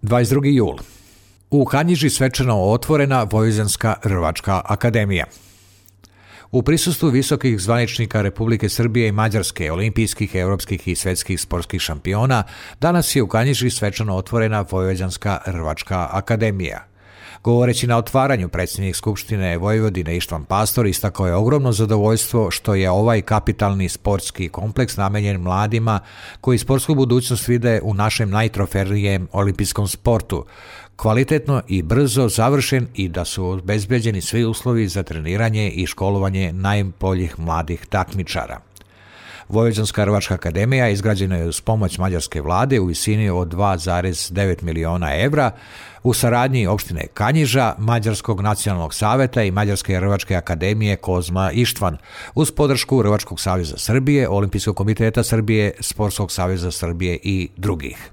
22. jul. U Kanjiži svečano otvorena Vojvođanska rvačka akademija. U prisustvu visokih zvaničnika Republike Srbije i Mađarske, olimpijskih, evropskih i svetskih sportskih šampiona, danas je u Kanjiži svečano otvorena Vojvođanska rvačka akademija. Govoreći na otvaranju, predsjednik Skupštine Vojvodine Ištvan Pastor istakao je ogromno zadovoljstvo što je ovaj kapitalni sportski kompleks namenjen mladima koji sportsku budućnost vide u našem najtrofejnijem olimpijskom sportu, kvalitetno i brzo završen i da su obezbeđeni svi uslovi za treniranje i školovanje najboljih mladih takmičara. Vojvođanska rvačka akademija izgrađena je uz pomoć mađarske vlade u visini od 2,9 miliona evra u saradnji opštine Kanjiža, Mađarskog nacionalnog saveta i Mađarske rvačke akademije Kozma Ištvan uz podršku Rvačkog saveza Srbije, Olimpijskog komiteta Srbije, Sportskog saveza Srbije i drugih.